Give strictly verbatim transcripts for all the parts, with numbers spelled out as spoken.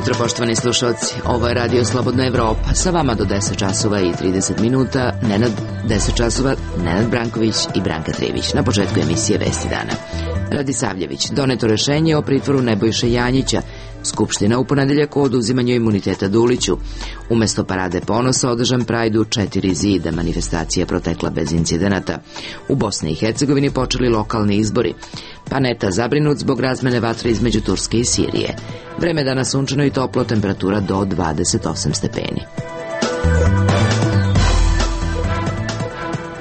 jutro, poštovani slušalci. Ovo je Radio Slobodna Evropa. Sa vama do deset časova i trideset minuta. Nenad, deset časova, Nenad Branković i Branka Trivić. Na početku emisije Vesti dana. Radisavljević, doneto rešenje o pritvoru Nebojše Janjića. Skupština u ponedeljak o oduzimanju imuniteta Duliću. Umesto parade ponosa održan Prajdu četiri zida, manifestacija protekla bez incidenata. U Bosni i Hercegovini počeli lokalni izbori. Paneta zabrinut zbog razmene vatre između Turske i Sirije. Vreme dana sunčano i toplo, temperatura do dvadeset osam stepeni.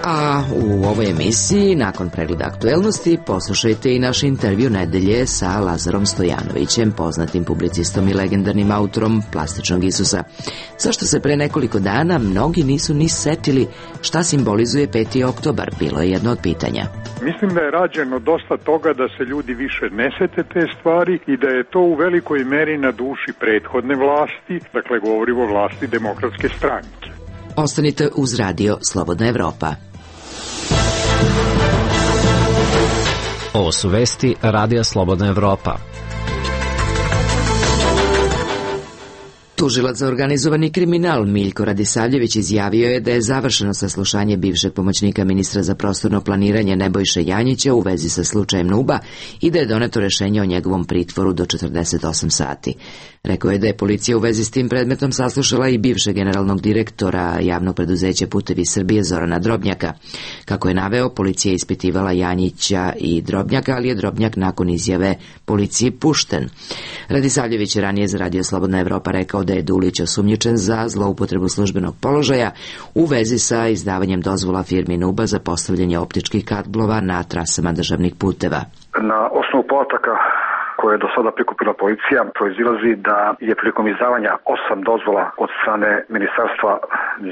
A u ovoj emisiji, nakon pregleda aktuelnosti, poslušajte i naš intervju nedelje sa Lazarom Stojanovićem, poznatim publicistom i legendarnim autorom Plastičnog Isusa. Zašto se pre nekoliko dana mnogi nisu ni setili šta simbolizuje peti oktobar, bilo je jedno od pitanja. Mislim da je rađeno dosta toga da se ljudi više ne sete te stvari i da je to u velikoj meri na duši prethodne vlasti, dakle govorimo o vlasti Demokratske stranke. Ostanite uz Radio Slobodna Evropa. Ovo su vesti Radija Slobodna Evropa. Tužilac za organizovani kriminal Miljko Radisavljević izjavio je da je završeno saslušanje bivšeg pomoćnika ministra za prostorno planiranje Nebojše Janjića u vezi sa slučajem Nuba i da je doneto rešenje o njegovom pritvoru do četrdeset osam sati. Rekao je da je policija u vezi s tim predmetom saslušala i bivšeg generalnog direktora javnog preduzeća Putevi Srbije Zorana Drobnjaka. Kako je naveo, policija je ispitivala Janjića i Drobnjaka, ali je Drobnjak nakon izjave policiji pušten. Radisavljević je ranije za Radio Slobodna Evropa rekao da je Dulić osumnjičen za zloupotrebu službenog položaja u vezi sa izdavanjem dozvola firmi Nuba za postavljanje optičkih kablova na trasama državnih puteva. Na osnovu podataka koje je do sada prikupila policija, proizilazi da je prilikom izdavanja osam dozvola od strane Ministarstva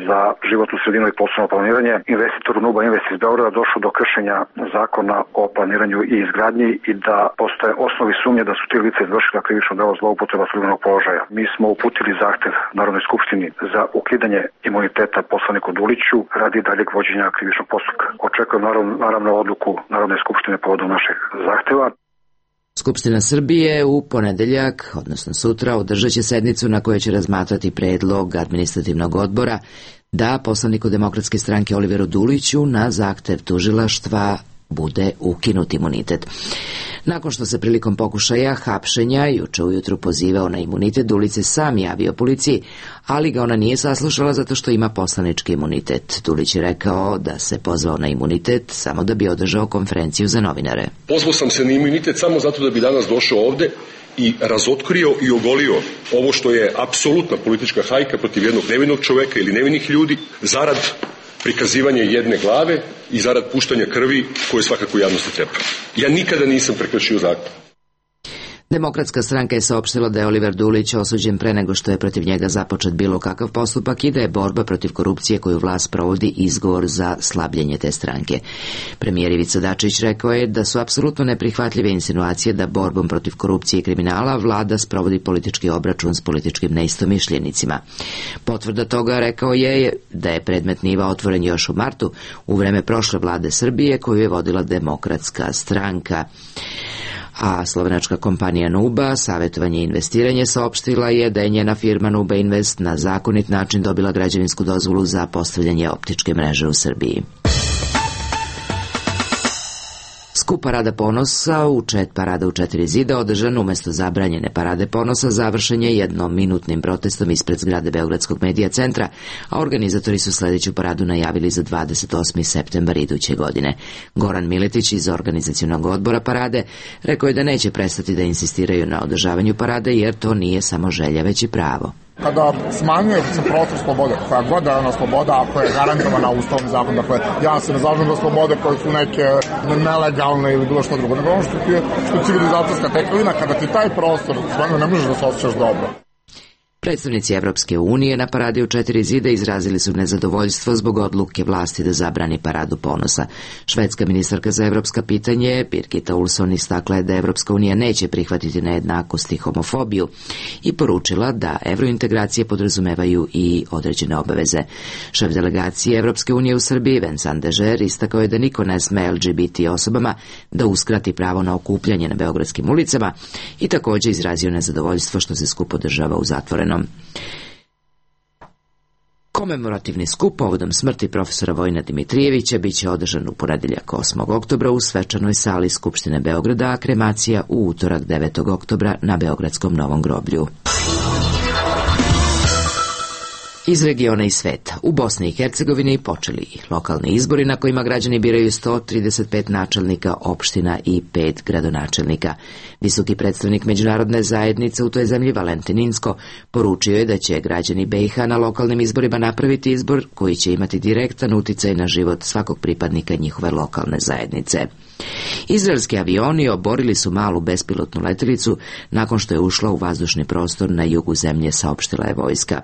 za životnu sredinu i prostorno planiranje investitoru Nuba Invest iz Beograda došlo do kršenja zakona o planiranju i izgradnji i da postoje osnovi sumnje da su ti lice izvršila krivično delo zloupotreba službenog položaja. Mi smo uputili zahtev Narodnoj skupštini za ukidanje imuniteta poslaniku Duliću radi daljeg vođenja krivičnog postupka. Očekujem naravno, naravno odluku Narodne skupštine povodom našeg zahteva. Skupština Srbije u ponedeljak, odnosno sutra, održat će sednicu na kojoj će razmatrati predlog administrativnog odbora da poslaniku Demokratske stranke Oliveru Duliću na zahtev tužilaštva bude ukinut imunitet. Nakon što se prilikom pokušaja hapšenja juče ujutru pozivao na imunitet, Dulić se sam javio policiji, ali ga ona nije saslušala zato što ima poslanički imunitet. Dulić je rekao da se pozvao na imunitet samo da bi održao konferenciju za novinare. Pozvao sam se na imunitet samo zato da bi danas došao ovde i razotkrio i ogolio ovo što je apsolutna politička hajka protiv jednog nevinog čoveka ili nevinih ljudi zarad prikazivanje jedne glave i zarad puštanja krvi koje svakako javnosti treba. Ja nikada nisam prekršio zakon. Demokratska stranka je saopštila da je Oliver Dulić osuđen pre nego što je protiv njega započet bilo kakav postupak i da je borba protiv korupcije koju vlast provodi izgovor za slabljenje te stranke. Premijer Ivica Dačić rekao je da su apsolutno neprihvatljive insinuacije da borbom protiv korupcije i kriminala vlada sprovodi politički obračun s političkim neistomišljenicima. Potvrda toga, rekao je, da je predmet Niva otvoren još u martu u vreme prošle vlade Srbije koju je vodila Demokratska stranka. A slovenačka kompanija Nuba, savjetovanje i investiranje, saopštila je da je njena firma Nuba Invest na zakonit način dobila građevinsku dozvolu za postavljanje optičke mreže u Srbiji. Skup Parada ponosa u čet parada u četiri zida održan umesto zabranjene Parade ponosa završen je jednominutnim protestom ispred zgrade Beogradskog medija centra, a organizatori su sledeću paradu najavili za dvadeset osmi septembar iduće godine. Goran Miletić iz organizacionog odbora parade rekao je da neće prestati da insistiraju na održavanju parade jer to nije samo želja već i pravo. Kada smanjuje se prostor slobode, koja god je ona sloboda, ako je garantovana ustavnom zakonu, dakle, ja se ne zalažem za slobode koje su neke nelegalne ili bilo što drugo, nego ono što ti je, što je civilizacijska tekovina, kada ti taj prostor smanjuje, ne možeš da se osjećaš dobro. Predstavnici Evropske unije na paradi u četiri zida izrazili su nezadovoljstvo zbog odluke vlasti da zabrani paradu ponosa. Švedska ministarka za evropska pitanje Birgitta Olsson istakla je da Evropska unija neće prihvatiti nejednakost i homofobiju i poručila da evrointegracije podrazumevaju i određene obaveze. Šef delegacije Evropske unije u Srbiji Vincent Dežer istakao je da niko ne sme L G B T osobama da uskrati pravo na okupljanje na beogradskim ulicama i također izrazio nezadovoljstvo što se skup održava u zatvorenom. Komemorativni skup povodom smrti profesora Vojina Dimitrijevića biće održan u ponedeljak osmog oktobra u svečanoj sali Skupštine Beograda, a kremacija u utorak devetog oktobra na Beogradskom Novom groblju. Iz regiona i sveta. U Bosni i Hercegovini počeli lokalni izbori na kojima građani biraju sto trideset pet načelnika opština i pet gradonačelnika. Visoki predstavnik međunarodne zajednice u toj zemlji Valentin Inzko poručio je da će građani B i H na lokalnim izborima napraviti izbor koji će imati direktan uticaj na život svakog pripadnika njihove lokalne zajednice. Izraelski avioni oborili su malu bespilotnu letelicu nakon što je ušla u vazdušni prostor na jugu zemlje, saopštila je vojska.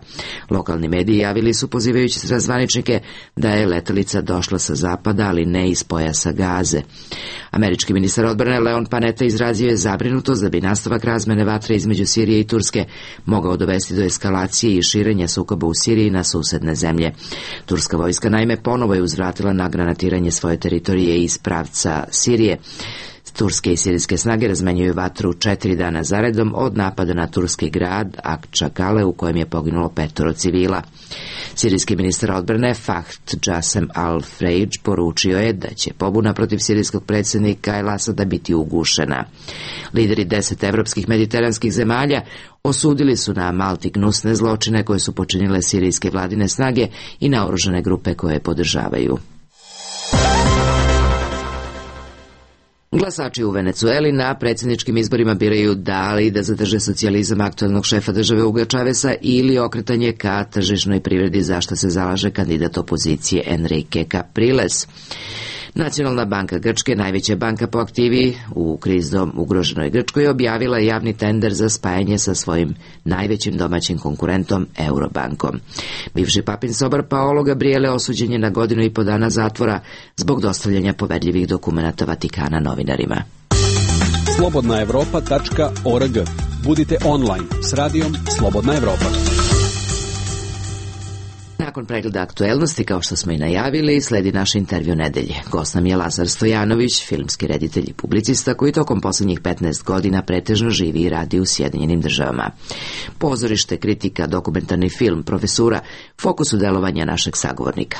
Lokalni mediji javili su, pozivajući se na zvaničnike, da je letelica došla sa zapada, ali ne iz pojasa Gaze. Američki ministar odbrane Leon Panetta izrazio je zabrinutost da bi nastavak razmene vatre između Sirije i Turske mogao dovesti do eskalacije i širenja sukoba u Siriji na susedne zemlje. Turska vojska naime ponovo je uzvratila na granatiranje svoje teritorije iz pravca Sirije. Turske i sirijske snage razmenjuju vatru četiri dana zaredom od napada na turski grad Akčakale u kojem je poginulo petoro civila. Sirijski ministar odbrane Fahd Jasem al-Freidž poručio je da će pobuna protiv sirijskog predsjednika El Asada biti ugušena. Lideri deset evropskih mediteranskih zemalja osudili su na Malti gnusne zločine koje su počinile sirijske vladine snage i naoružane grupe koje je podržavaju. Glasači u Venecueli na predsjedničkim izborima biraju da li da zadrže socijalizam aktualnog šefa države Huga Chaveza ili okretanje ka tržišnoj privredi, za što se zalaže kandidat opozicije Enrique Capriles. Nacionalna banka Grčke, najveća banka po aktivi u krizom ugroženoj Grčkoj, objavila je javni tender za spajanje sa svojim najvećim domaćim konkurentom Eurobankom. Bivši papin sobar Paolo Gabriele osuđen je na godinu i po dana zatvora zbog dostavljanja poverljivih dokumenata Vatikana novinarima. slobodna evropa tačka org. Budite online s radijom Slobodna Evropa. Nakon pregleda aktuelnosti, kao što smo i najavili, sledi naš intervju nedelje. Gost nam je Lazar Stojanović, filmski reditelj i publicista koji tokom posljednjih petnaest godina pretežno živi i radi u Sjedinjenim državama. Pozorište, kritika, dokumentarni film, profesura, fokusu delovanja našeg sagovornika.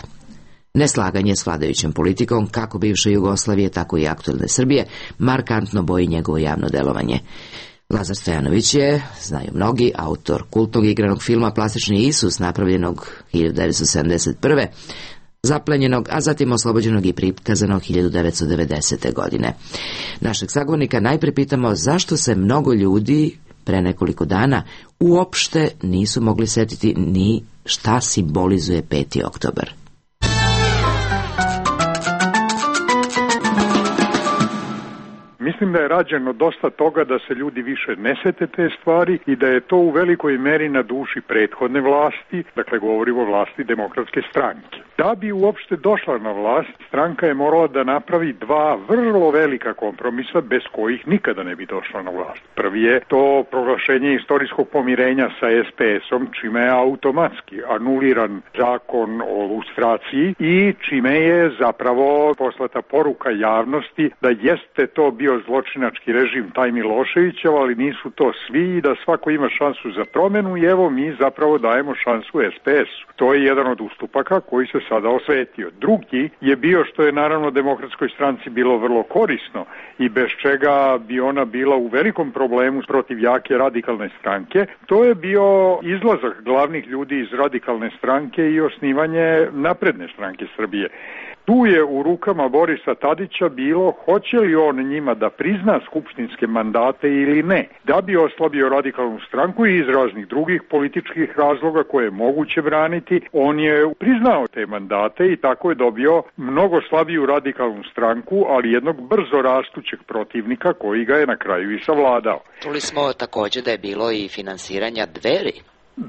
Neslaganje s vladajućom politikom, kako bivše Jugoslavije, tako i aktuelne Srbije, markantno boji njegovo javno delovanje. Lazar Stojanović je, znaju mnogi, autor kultnog igranog filma Plastični Isus, napravljenog hiljadu devetsto sedamdeset prve, zaplenjenog, a zatim oslobođenog i prikazanog hiljadu devetsto devedesete. godine. Našeg sagovornika najprije pitamo zašto se mnogo ljudi pre nekoliko dana uopšte nisu mogli setiti ni šta simbolizuje peti oktobar. Mislim da je rađeno dosta toga da se ljudi više ne sete te stvari i da je to u velikoj meri na duši prethodne vlasti, dakle govorimo o vlasti Demokratske stranke. Da bi uopšte došla na vlast, stranka je morala da napravi dva vrlo velika kompromisa bez kojih nikada ne bi došla na vlast. Prvi je to proglašenje istorijskog pomirenja sa S P S-om, čime je automatski anuliran zakon o lustraciji i čime je zapravo poslata poruka javnosti da jeste to bio zločinački režim taj Miloševićev, ali nisu to svi i da svako ima šansu za promjenu i evo mi zapravo dajemo šansu S P S-u. To je jedan od ustupaka koji se sada osvetio. Drugi je bio, što je naravno Demokratskoj stranci bilo vrlo korisno i bez čega bi ona bila u velikom problemu protiv jake radikalne stranke, to je bio izlazak glavnih ljudi iz radikalne stranke i osnivanje Napredne stranke Srbije. Tu je u rukama Borisa Tadića bilo hoće li on njima da prizna skupštinske mandate ili ne. Da bi oslabio radikalnu stranku i iz raznih drugih političkih razloga koje je moguće braniti, on je priznao te mandate i tako je dobio mnogo slabiju radikalnu stranku, ali jednog brzo rastućeg protivnika koji ga je na kraju i savladao. Čuli smo također da je bilo i finansiranja Dveri.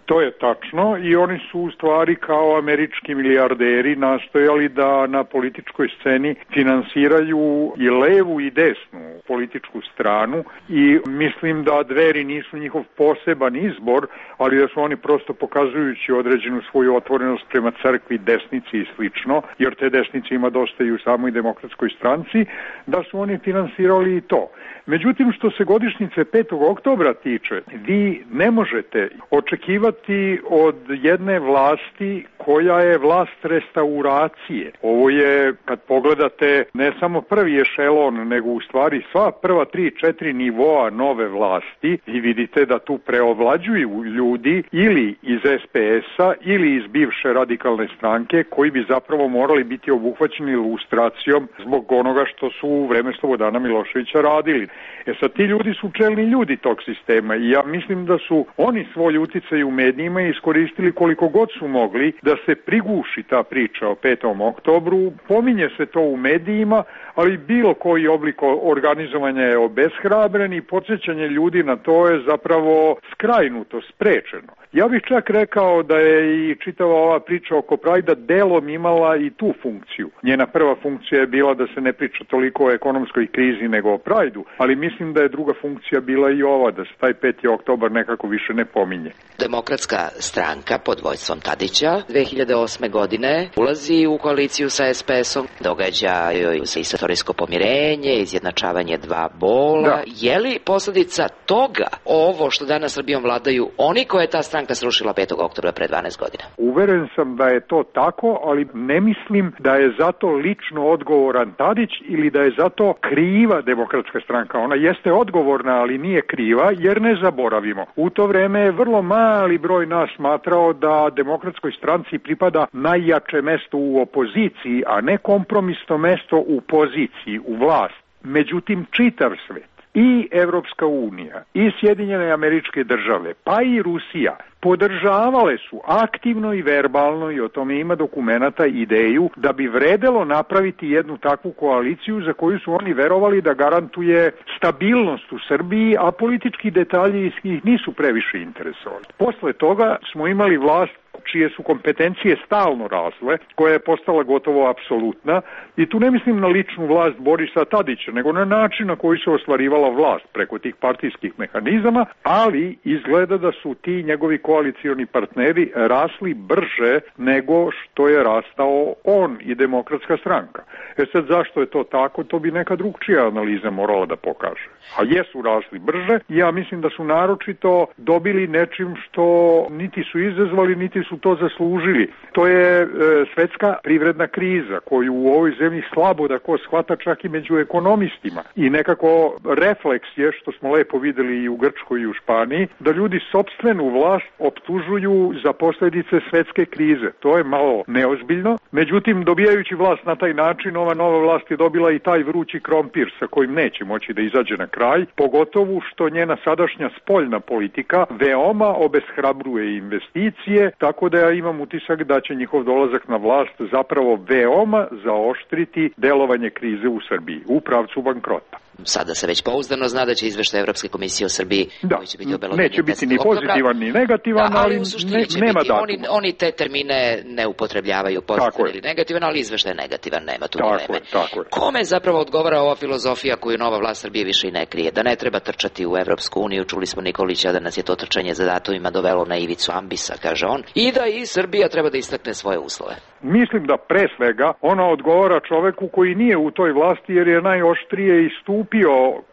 To je tačno i oni su u stvari kao američki milijarderi nastojali da na političkoj sceni finansiraju i levu i desnu političku stranu i mislim da Dveri nisu njihov poseban izbor, ali da su oni prosto pokazujući određenu svoju otvorenost prema crkvi, desnici i slično, jer te desnice ima dosta i u samoj demokratskoj stranci, da su oni finansirali i to. Međutim, što se godišnjice petog oktobra tiče, vi ne možete očekivati od jedne vlasti koja je vlast restauracije. Ovo je, kad pogledate, ne samo prvi ešelon, nego u stvari sva prva tri, četiri nivoa nove vlasti i vidite da tu preovlađuju ljudi ili iz es pe es-a ili iz bivše radikalne stranke koji bi zapravo morali biti obuhvaćeni ilustracijom zbog onoga što su u vreme Slobodana Miloševića radili. E sad, ti ljudi su čelni ljudi tog sistema i ja mislim da su oni svoj uticaj u medijima iskoristili koliko god su mogli da se priguši ta priča o petom oktobru. Pominje se to u medijima, ali bilo koji oblik organizovanja je obeshrabren i podsjećanje ljudi na to je zapravo skrajnuto, sprečeno. Ja bih čak rekao da je i čitava ova priča oko Prajda delom imala i tu funkciju. Njena prva funkcija je bila da se ne priča toliko o ekonomskoj krizi nego o Prajdu, ali mislim da je druga funkcija bila i ova, da se taj peti oktobar nekako više ne pominje. Demokratska stranka pod vođstvom Tadića dve hiljade osme godine ulazi u koaliciju sa es pe es-om, događaju se istorijsko pomirenje, izjednačavanje dva bola. Da. Je li posljedica toga ovo što danas Srbijom vladaju oni koje je ta stranka srušila petog oktobra pre dvanaest godina? Uveren sam da je to tako, ali ne mislim da je zato lično odgovoran Tadić ili da je zato kriva Demokratska stranka. Ona jeste odgovorna, ali nije kriva, jer ne zaboravimo. U to vreme je vrlo mali broj nas smatrao da Demokratskoj stranci pripada najjače mesto u opoziciji, a ne kompromisno mesto u poziciji, u vlast. Međutim, čitav svet, i Evropska unija, i Sjedinjene Američke Države, pa i Rusija, podržavale su aktivno i verbalno, i o tome ima dokumenata, ideju da bi vredelo napraviti jednu takvu koaliciju za koju su oni verovali da garantuje stabilnost u Srbiji, a politički detalji ih nisu previše interesovali. Posle toga smo imali vlast čije su kompetencije stalno rasle, koja je postala gotovo apsolutna, i tu ne mislim na ličnu vlast Borisa Tadića, nego na način na koji se ostvarivala vlast preko tih partijskih mehanizama, ali izgleda da su ti njegovi koalicioni partneri rasli brže nego što je rastao on i Demokratska stranka. E sad, zašto je to tako, to bi neka drugčija analiza morala da pokaže. A jesu rasli brže, ja mislim da su naročito dobili nečim što niti su izazvali, niti su to zaslužili. To je e, svetska privredna kriza koju u ovoj zemlji slabo da ko shvata čak i među ekonomistima. I nekako refleks je, što smo lepo videli i u Grčkoj i u Španiji, da ljudi sopstvenu vlast optužuju za posljedice svetske krize. To je malo neozbiljno. Međutim, dobijajući vlast na taj način, ova nova vlast je dobila i taj vrući krompir sa kojim neće moći da izađe na kraj, pogotovo što njena sadašnja spoljna politika veoma obeshrabruje investicije, tako da ja imam utisak da će njihov dolazak na vlast zapravo veoma zaoštriti delovanje krize u Srbiji, u pravcu bankrota. Sada se već pouzdano zna da će izveštaj Evropske komisije o Srbiji, da, koji će biti obelodanjen neće biti ni pozitivan ni negativan, da, ali, ali ne, nema datuma. Oni, oni te termine ne upotrebljavaju pozitivan ili negativan, ali izveštaj negativan, nema tu tako dileme. Je, tako je. Kome zapravo odgovara ova filozofija koju nova vlast Srbije više i ne krije? Da ne treba trčati u Evropsku uniju, čuli smo Nikolića da nas je to trčanje za datumima dovelo na ivicu ambisa, kaže on, i da i Srbija treba da istakne svoje uslove. Mislim da pre svega ona odgovara čoveku koji nije u toj vlasti, jer je najoštrije istupio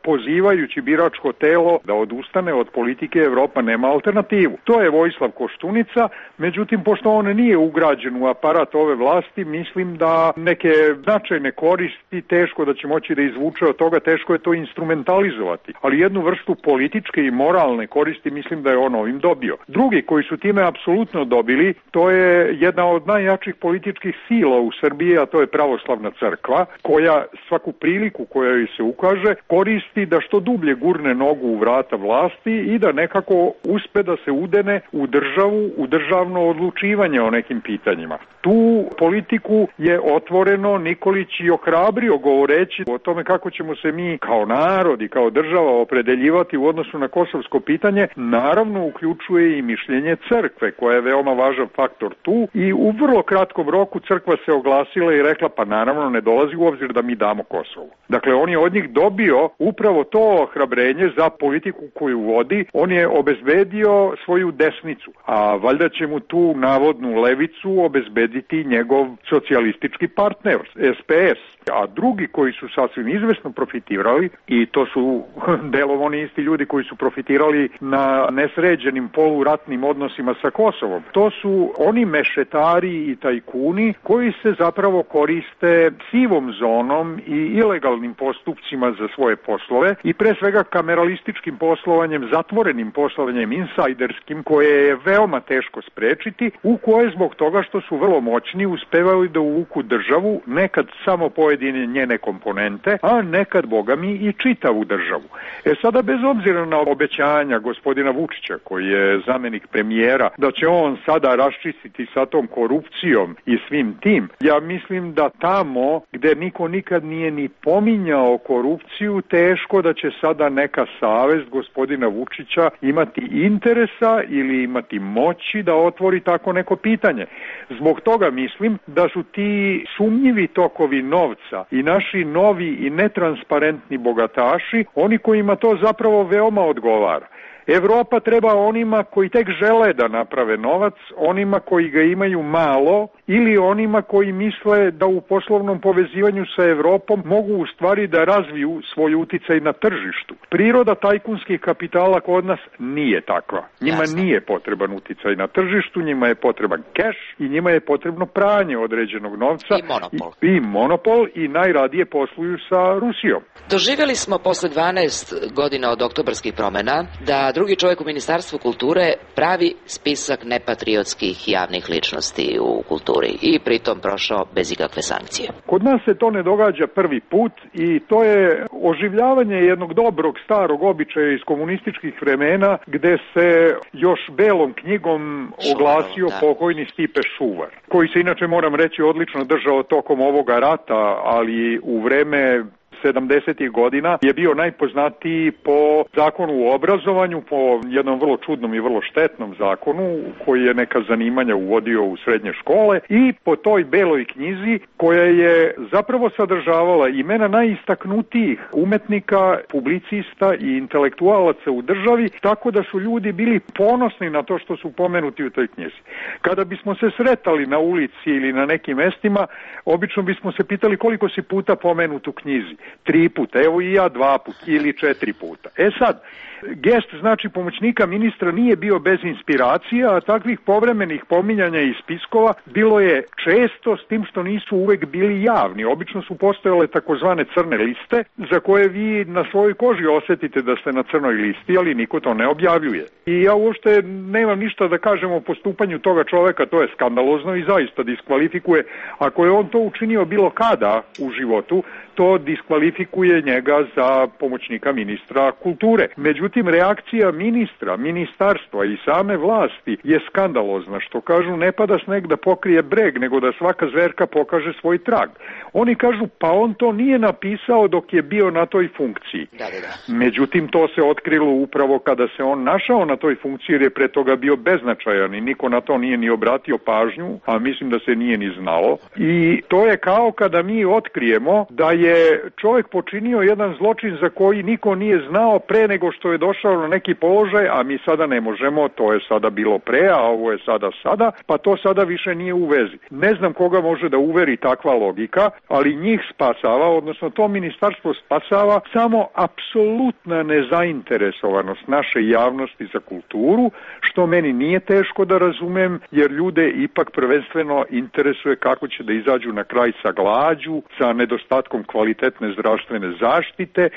pozivajući biračko telo da odustane od politike Evropa nema alternativu. To je Vojislav Koštunica, međutim, pošto on nije ugrađen u aparat ove vlasti, mislim da neke značajne koristi teško da će moći da izvuče od toga, teško je to instrumentalizovati. Ali jednu vrstu političke i moralne koristi mislim da je on ovim dobio. Drugi koji su time apsolutno dobili, to je jedna od najjačih političkih sila u Srbiji, a to je pravoslavna crkva, koja svaku priliku koja joj se ukaže koristi da što dublje gurne nogu u vrata vlasti i da nekako uspe da se udene u državu, u državno odlučivanje o nekim pitanjima. Tu politiku je otvoreno Nikolić i ohrabrio govoreći o tome kako ćemo se mi kao narod i kao država opredeljivati u odnosu na kosovsko pitanje, naravno uključuje i mišljenje crkve koja je veoma važan faktor tu i u vrlo kratkom roku crkva se oglasila i rekla pa naravno ne dolazi u obzir da mi damo Kosovo. Dakle, on je od njih dobio upravo to ohrabrenje za politiku koju vodi, on je obezbedio svoju desnicu, a valjda će mu tu navodnu levicu obezbediti njegov socijalistički partner, S P S. A drugi koji su sasvim izvesno profitirali, i to su delom oni isti ljudi koji su profitirali na nesređenim poluratnim odnosima sa Kosovom, to su oni mešetari i tajkuni koji se zapravo koriste sivom zonom i ilegalnim postupcima za svoje poslove i pre svega kameralističkim poslovanjem, zatvorenim poslovanjem, insajderskim, koje je veoma teško sprečiti, u koje zbog toga što su vrlo moćni uspevaju da uvuku državu, nekad samo pojedine njene komponente, a nekad, boga mi, i čitavu državu. E sada, bez obzira na obećanja gospodina Vučića, koji je zamenik premijera, da će on sada raščistiti sa tom korupcijom i svim tim, ja mislim da tamo gde niko nikad nije ni pominjao korupciju, teško da će sada neka savest gospodina Vučića imati interesa ili imati moći da otvori tako neko pitanje. Zbog toga mislim da su ti sumnjivi tokovi novca i naši novi i netransparentni bogataši oni kojima to zapravo veoma odgovara. Evropa treba onima koji tek žele da naprave novac, onima koji ga imaju malo ili onima koji misle da u poslovnom povezivanju sa Evropom mogu u stvari da razviju svoj uticaj na tržištu. Priroda tajkunskih kapitala kod nas nije takva. Njima Jasne. Nije potreban uticaj na tržištu, njima je potreban keš i njima je potrebno pranje određenog novca. I monopol. I, i monopol i najradije posluju sa Rusijom. Doživjeli smo posle dvanaest godina od oktobarskih promena da drugi čovjek u Ministarstvu kulture pravi spisak nepatriotskih javnih ličnosti u kulturi i pritom prošao bez ikakve sankcije. Kod nas se to ne događa prvi put i to je oživljavanje jednog dobrog starog običaja iz komunističkih vremena gde se još belom knjigom oglasio da. pokojni Stipe Šuvar, koji se inače, moram reći, odlično držao tokom ovoga rata, ali u vreme sedamdesetih godina je bio najpoznatiji po zakonu o obrazovanju, po jednom vrlo čudnom i vrlo štetnom zakonu koji je neka zanimanja uvodio u srednje škole i po toj beloj knjizi koja je zapravo sadržavala imena najistaknutijih umetnika, publicista i intelektualaca u državi, tako da su ljudi bili ponosni na to što su pomenuti u toj knjizi. Kada bismo se sretali na ulici ili na nekim mestima, obično bismo se pitali koliko si puta pomenut u knjizi. Tri puta, evo i ja dva puta ili četiri puta. E sad, gest znači pomoćnika ministra nije bio bez inspiracija, a takvih povremenih pominjanja iz spiskova bilo je često, s tim što nisu uvek bili javni. Obično su postojale takozvane crne liste za koje vi na svojoj koži osetite da ste na crnoj listi, ali niko to ne objavljuje. I ja uopšte nemam ništa da kažem o postupanju toga čoveka, to je skandalozno i zaista diskvalifikuje. Ako je on to učinio bilo kada u životu, to diskvalifikuje njega za pomoćnika ministra kulture. Međutim, reakcija ministra, ministarstva i same vlasti je skandalozna, što kažu ne pada sneg da pokrije breg, nego da svaka zverka pokaže svoj trag. Oni kažu pa on to nije napisao dok je bio na toj funkciji. Da, da, da. Međutim, to se otkrilo upravo kada se on našao na toj funkciji jer je pre toga bio beznačajan i niko na to nije ni obratio pažnju, a mislim da se nije ni znalo. I to je kao kada mi otkrijemo da je čovjek počinio jedan zločin za koji niko nije znao pre nego što je došao na neki položaj, a mi sada ne možemo, to je sada bilo pre, a ovo je sada sada, pa to sada više nije u vezi. Ne znam koga može da uveri takva logika, ali njih spasava, odnosno to ministarstvo spasava samo apsolutna nezainteresovanost naše javnosti za kulturu, što meni nije teško da razumem, jer ljude ipak prvenstveno interesuje kako će da izađu na kraj sa glađu, sa nedostatkom kvalitetne zdravstvene zaštite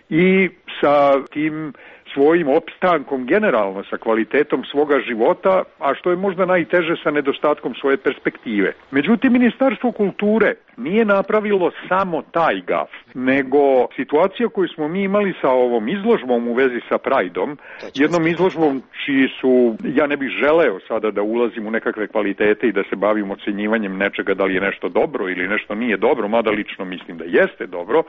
i sa tim svojim opstankom generalno, sa kvalitetom svoga života, a što je možda najteže sa nedostatkom svoje perspektive. Međutim, Ministarstvo kulture nije napravilo samo taj gaf, nego situacija koju smo mi imali sa ovom izložbom u vezi sa Prideom, jednom izložbom čiji su, ja ne bih želeo sada da ulazim u nekakve kvalitete i da se bavim ocenjivanjem nečega da li je nešto dobro ili nešto nije dobro, mada lično mislim da jeste dobro,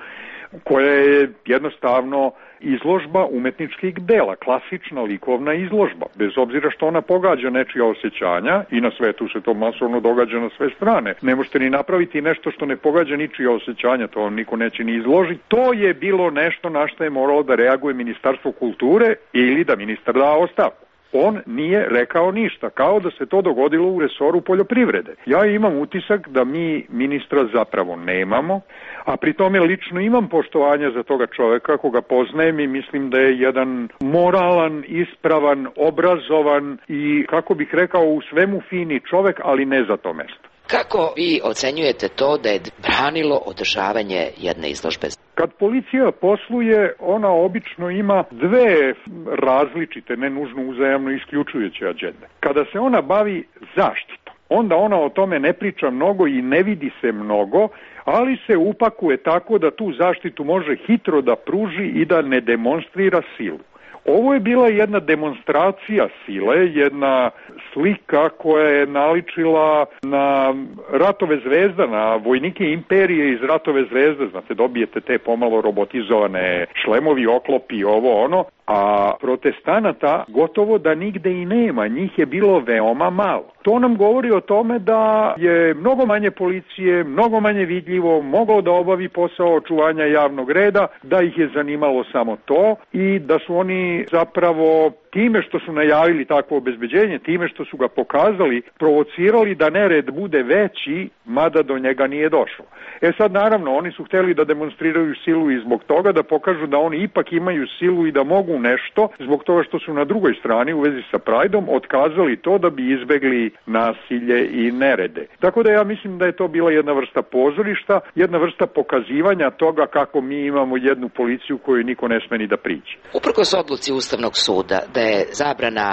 koja je jednostavno izložba umetničkih dela, klasična likovna izložba, bez obzira što ona pogađa nečija osjećanja, i na svetu se to masovno događa na sve strane. Ne možete ni napraviti nešto što ne pogađa ničija osjećanja, to vam niko neće ni izložiti. To je bilo nešto na što je moralo da reaguje Ministarstvo kulture ili da ministar da ostavku. On nije rekao ništa, kao da se to dogodilo u resoru poljoprivrede. Ja imam utisak da mi ministra zapravo nemamo, a pri tome lično imam poštovanja za toga čoveka koga poznajem i mislim da je jedan moralan, ispravan, obrazovan i, kako bih rekao, u svemu fini čovek, ali ne za to mesto. Kako vi ocenjujete to da je branilo održavanje jedne izložbe? Kad policija posluje, ona obično ima dve različite, ne nužno uzajamno isključujuće agende. Kada se ona bavi zaštitom, onda ona o tome ne priča mnogo i ne vidi se mnogo, ali se upakuje tako da tu zaštitu može hitro da pruži i da ne demonstrira silu. Ovo je bila jedna demonstracija sile, jedna slika koja je naličila na Ratove zvezda, na vojnike imperije iz Ratove zvezde. Znate, dobijete te pomalo robotizovane šlemovi, oklopi, ovo ono, a protestanata gotovo da nigde i nema, njih je bilo veoma malo. To nam govori o tome da je mnogo manje policije, mnogo manje vidljivo, moglo da obavi posao očuvanja javnog reda, da ih je zanimalo samo to i da su oni zapravo time što su najavili takvo obezbeđenje, time što su ga pokazali, provocirali da nered bude veći, mada do njega nije došlo. E sad, naravno, oni su hteli da demonstriraju silu i zbog toga da pokažu da oni ipak imaju silu i da mogu nešto, zbog toga što su na drugoj strani u vezi sa Prideom otkazali to da bi izbegli nasilje i nerede. Tako da ja mislim da je to bila jedna vrsta pozorišta, jedna vrsta pokazivanja toga kako mi imamo jednu policiju koju niko ne sme ni da priđe. Uprkos odluci Ustavnog suda da je zabrana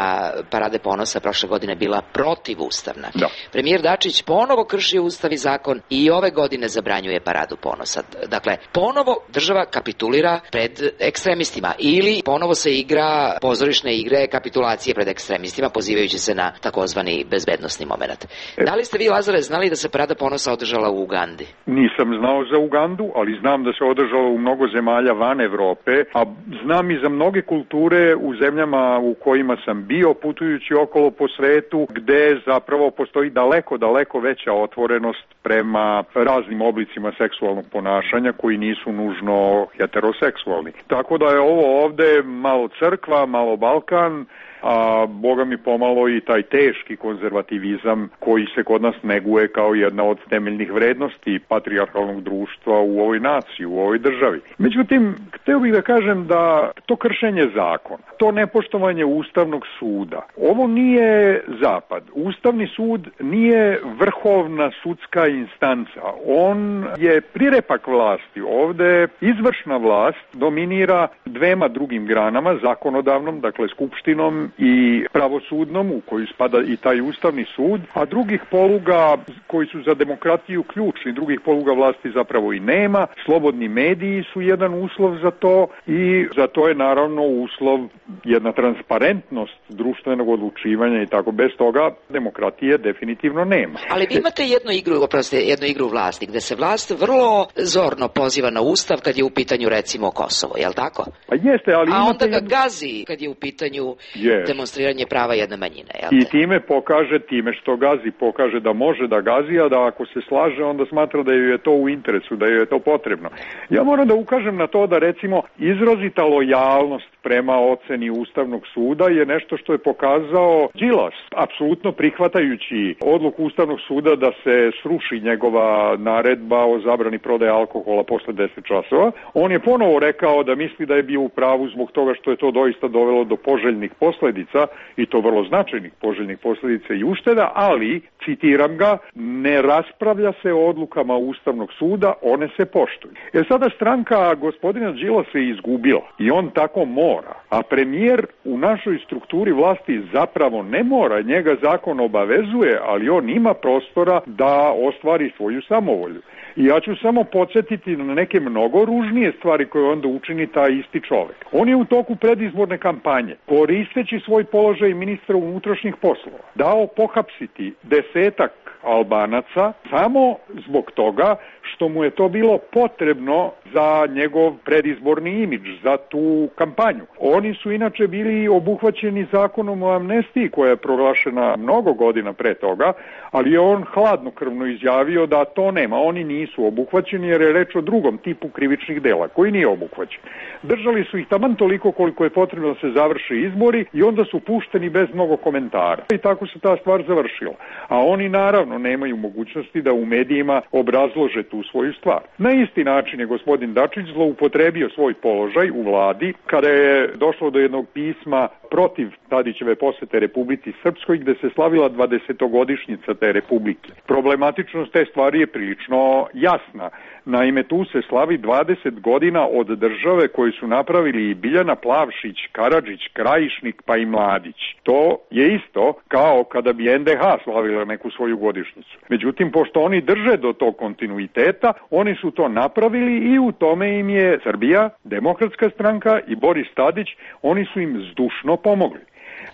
Parade ponosa prošle godine bila protivustavna, da. Premijer Dačić ponovo krši Ustav i zakon i ove godine zabranjuje Paradu ponosa. Dakle, ponovo država kapitulira pred ekstremistima ili ponovo se igra pozorišne igre kapitulacije pred ekstremistima, pozivajući se na takozvani bezbednosni moment. E. Da li ste vi, Lazare, znali da se Parada ponosa održala u Ugandi? Nisam znao za Ugandu, ali znam da se održala u mnogo zemalja van Evrope, a znam i za mnoge kulture u zemljama u kojima sam bio putujući okolo po svetu, gde zapravo postoji daleko, daleko veća otvorenost prema raznim oblicima seksualnog ponašanja koji nisu nužno heteroseksualni. Tako da je ovo ovde malo crkva, malo Balkan, a boga mi pomalo i taj teški konzervativizam koji se kod nas neguje kao jedna od temeljnih vrednosti patrijarhalnog društva u ovoj naciji, u ovoj državi. Međutim, hteo bih da kažem da to kršenje zakona, to nepoštovanje Ustavnog suda, ovo nije Zapad. Ustavni sud nije vrhovna sudska instanca. On je prirepak vlasti. Ovde izvršna vlast dominira dvema drugim granama, zakonodavnom, dakle skupštinom i pravosudnom, u koju spada i taj Ustavni sud, a drugih poluga koji su za demokratiju ključni, drugih poluga vlasti zapravo i nema. Slobodni mediji su jedan uslov za to i za to je naravno uslov jedna transparentnost društvenog odlučivanja i tako. Bez toga demokratije definitivno nema. Ali vi imate jednu igru, oprosti, jednu igru vlasti, gde se vlast vrlo zorno poziva na Ustav kad je u pitanju recimo Kosovo, je li tako? A jeste, ali a imate onda ga jednu... gazi kad je u pitanju yes. demonstriranje prava jedne manjine. Jel I time pokaže, time što gazi, pokaže da može da gazi, a da ako se slaže, onda smatra da joj je to u interesu, da joj je to potrebno. Ja moram da ukažem na to da recimo izrazita lojalnost prema oceni Ustavnog suda je nešto što je pokazao Đilas, apsolutno prihvatajući odluku Ustavnog suda da se sruši njegova naredba o zabrani prodaje alkohola posle deset časova. On je ponovo rekao da misli da je bio u pravu zbog toga što je to doista dovelo do poželjnih posledica i to vrlo značajnih poželjnih posledica i ušteda, ali, citiram ga, ne raspravlja se o odlukama Ustavnog suda, one se poštuju. Jer sada stranka gospodina Đilasa se izgubila i on tako mora mora. A premijer u našoj strukturi vlasti zapravo ne mora, njega zakon obavezuje, ali on ima prostora da ostvari svoju samovolju. I ja ću samo podsjetiti na neke mnogo ružnije stvari koje onda učini taj isti čovek. On je u toku predizborne kampanje, koristeći svoj položaj ministra unutrašnjih poslova, dao pohapsiti desetak Albanaca samo zbog toga što mu je to bilo potrebno za njegov predizborni imidž, za tu kampanju. Oni su inače bili obuhvaćeni zakonom o amnestiji koja je proglašena mnogo godina pre toga, ali je on hladnokrvno izjavio da to nema. Oni nisu obuhvaćeni jer je reč o drugom tipu krivičnih dela koji nije obuhvaćen. Držali su ih taman toliko koliko je potrebno da se završe izbori i onda su pušteni bez mnogo komentara. I tako se ta stvar završila. A oni naravno nemaju mogućnosti da u medijima obrazlože tu svoju stvar. Na isti način je gospodin Dačić zloupotrebio svoj položaj u vladi kada je došlo do jednog pisma protiv Tadićeve posete Republici Srpskoj gde se slavila dvadesetogodišnjica te republike. Problematičnost te stvari je prilično jasna. Naime, tu se slavi dvadeset godina od države koju su napravili i Biljana Plavšić, Karadžić, Krajišnik pa i Mladić. To je isto kao kada bi en de ha slavila neku svoju godišnjicu. Međutim, pošto oni drže do tog kontinuiteta, oni su to napravili i u tome im je Srbija, Demokratska stranka i Boris Tadić, oni su im zdušno pomogli.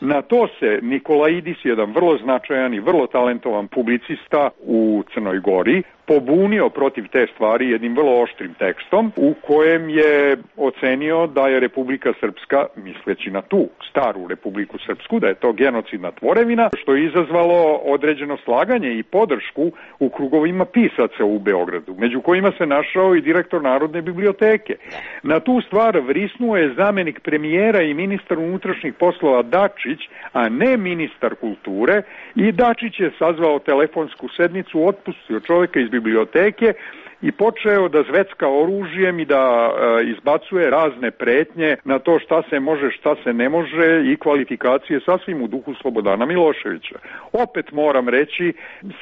Na to se Nikolaidis, jedan vrlo značajan i vrlo talentovan publicista u Crnoj Gori, pobunio protiv te stvari jednim vrlo oštrim tekstom u kojem je ocenio da je Republika Srpska, misleći na tu staru Republiku Srpsku, da je to genocidna tvorevina, što je izazvalo određeno slaganje i podršku u krugovima pisaca u Beogradu, među kojima se našao i direktor Narodne biblioteke. Na tu stvar vrisnuo je zamenik premijera i ministar unutrašnjih poslova Dačić, a ne ministar kulture, i Dačić je sazvao telefonsku sednicu, otpustio čoveka iz biblioteke i počeo da zvecka oružjem i da e, izbacuje razne pretnje na to šta se može, šta se ne može i kvalifikacije sasvim u duhu Slobodana Miloševića. Opet moram reći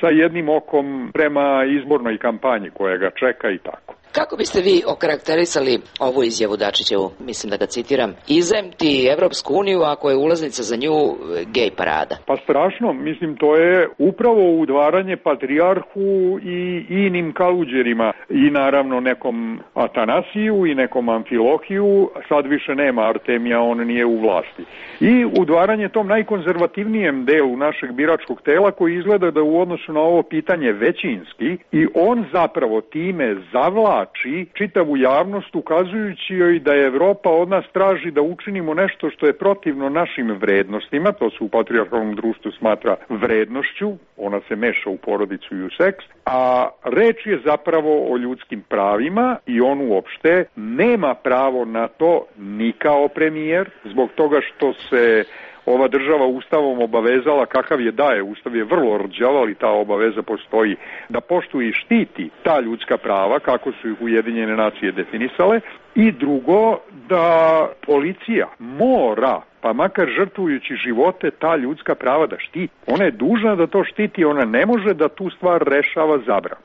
sa jednim okom prema izbornoj kampanji koja ga čeka i tako. Kako biste vi okarakterisali ovu izjavu Dačićevu, mislim da ga citiram, izemti Evropsku uniju ako je ulaznica za nju gej parada? Pa strašno, mislim to je upravo udvaranje patrijarhu i inim kaluđerima i naravno nekom Atanasiju i nekom Amfilohiju, sad više nema Artemija, on nije u vlasti. I udvaranje tom najkonzervativnijem delu našeg biračkog tela koji izgleda da u odnosu na ovo pitanje većinski i on zapravo time zavlači čitavu javnost ukazujući joj da je Evropa od nas traži da učinimo nešto što je protivno našim vrednostima, to se u patrijarhalnom društvu smatra vrednošću, ona se meša u porodicu i u seks, a reč je zapravo o ljudskim pravima i on uopšte nema pravo na to ni kao premijer, zbog toga što se ova država ustavom obavezala, kakav je daje, ustav je vrlo rđav, ali ta obaveza postoji, da poštuje i štiti ta ljudska prava, kako su ih Ujedinjene nacije definisale, i drugo, da policija mora, pa makar žrtvujući živote, ta ljudska prava da štiti. Ona je dužna da to štiti, ona ne može da tu stvar rešava zabranom.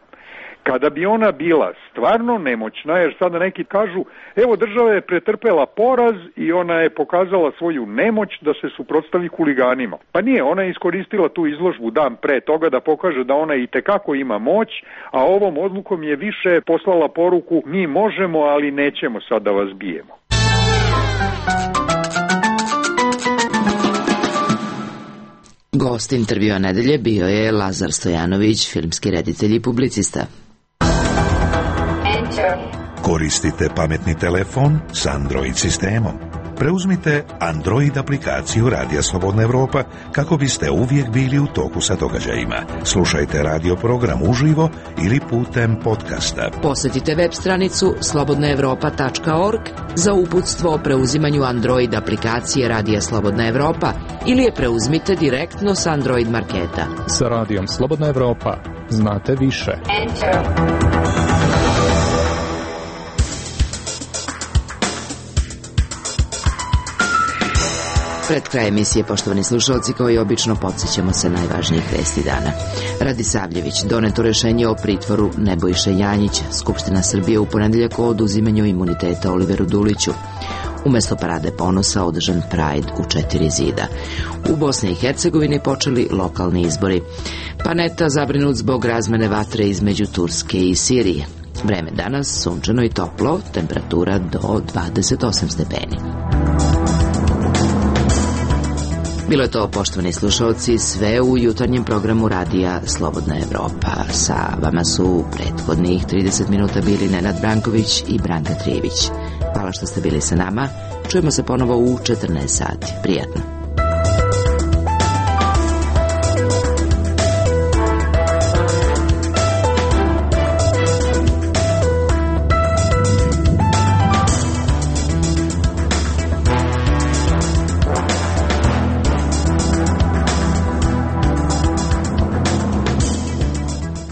Kada bi ona bila stvarno nemoćna, jer sada neki kažu, evo država je pretrpela poraz i ona je pokazala svoju nemoć da se suprotstavi huliganima. Pa nije, ona je iskoristila tu izložbu dan pre toga da pokaže da ona i tekako ima moć, a ovom odlukom je više poslala poruku, mi možemo, ali nećemo sad da vas bijemo. Gost intervjua nedelje bio je Lazar Stojanović, filmski reditelj i publicista. Koristite pametni telefon s Android sistemom. Preuzmite Android aplikaciju Radija Slobodna Evropa kako biste uvijek bili u toku sa događajima. Slušajte radio program uživo ili putem podcasta. Posjetite web stranicu slobodna evropa tačka org za uputstvo o preuzimanju Android aplikacije Radija Slobodna Evropa ili je preuzmite direktno s Android marketa. Sa Radijom Slobodna Evropa znate više. Enter. Pred kraj emisije, poštovani slušalci, kao i obično, podsjećamo se najvažnijih vesti dana. Radi Savljević, doneto rešenje o pritvoru Nebojše Janjića. Skupština Srbije u ponedeljak o oduzimanju imuniteta Oliveru Duliću. Umesto parade ponosa održan Pride u četiri zida. U Bosni i Hercegovini počeli lokalni izbori. Paneta zabrinut zbog razmene vatre između Turske i Sirije. Vreme danas sunčano i toplo, temperatura do dvadeset osam stepeni. Bilo je to, poštovani slušalci, sve u jutarnjem programu radija Slobodna Evropa. Sa vama su prethodnih trideset minuta bili Nenad Branković i Branka Trijević. Hvala što ste bili sa nama. Čujemo se ponovo u četrnaest sati. Prijatno.